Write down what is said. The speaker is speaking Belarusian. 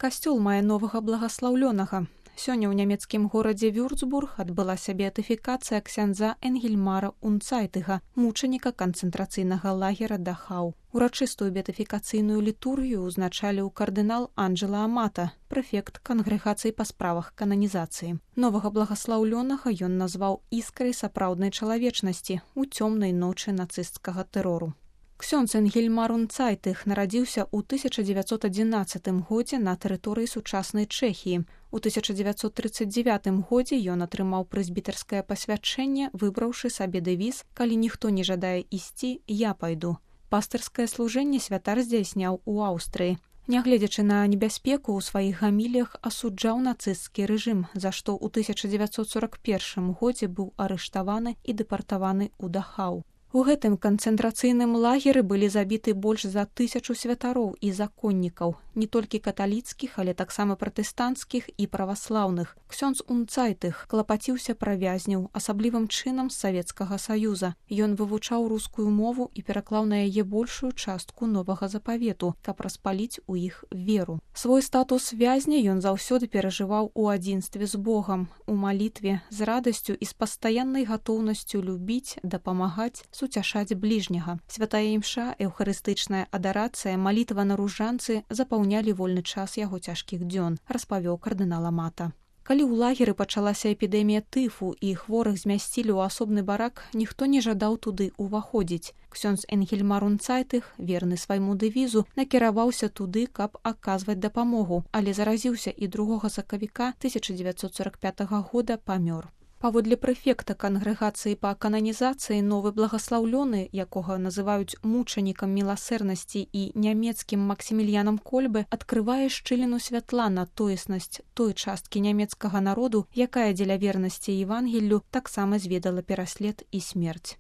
Касцёл мае новага благаслаўлёнага. Сёння ў нямецкім горадзе Вюрцбург адбылася беатыфікацыя ксяндза Энгельмара Унцайтыга, мучаніка канцэнтрацыйнага лагера Дахау. Урачыстую беатыфікацыйную літургію ўзначаліў кардынал Анджела Амата, прэфект кангрэгацыі па справах кананізацыі. Новага благаслаўлёнага ён назваў іскрай сапраўднай чалавечнасці ў цёмнай ночы нацысцкага тэрору. Ксёндз Энгельмар Унцайтых нарадзіўся ў 1911 годзе на тэрыторыі сучаснай Чэхіі. У 1939 годзе ён атрымаў прэзбітарскае пасвячэнне, выбраўшы сабе дэвіз «Калі ніхто не жадае ісці, я пайду». Пастырскае служэнне святар здзяйсняў у Аўстрыі. Нягледзячы на небяспеку, у сваіх гаміліях асуджаў нацысцкі рэжым, за што ў 1941 годзе быў арыштаваны і дэпартаваны ў Дахау. У гэтым канцэнтрацыйным лагеры былі забіты больш за 1000 святароў і законнікаў, не толькі каталіцкіх, але таксама пратэстанцкіх і праваслаўных. Ксёндз Унцайтых клапаціўся пра вязняў, асаблівым чынам з Савецкага Саюза. Ён вывучаў рускую мову і пераклаў на яе большую частку новага запавету, каб распаліць у іх веру. Свой статус вязня ён заўсёды перажываў у адзінстве з Богам, у малітве, з радасцю і з пастаяннай гатоўнасцю любіць, дапамагаць, суцяшаць бліжняга. Святая імша, эўхарыстычная адарацыя, малітва на ружанцы запаўнялі вольны час яго цяжкіх дзён, распавёў кардынал Амата. Калі ў лагеры пачалася эпідэмія тыфу і хворых змясцілі ў асобны барак, ніхто не жадаў туды ўваходзіць. Ксёндз Энгельмар Унцайтых, верны свайму дэвізу, накіраваўся туды, каб аказваць дапамогу, але заразіўся і 2 сакавіка 1945 года памёр. Паводле прэфекта кангрэгацыі па кананізацыі новы благаслаўлёны, якога называюць мучанікам міласэрнасці і нямецкім Максіміліянам Кольбе, адкрывае шчыліну святла на тоеснасць той часткі нямецкага народу, якая дзеля вернасці Евангеллю таксама зведала пераслед і смерць.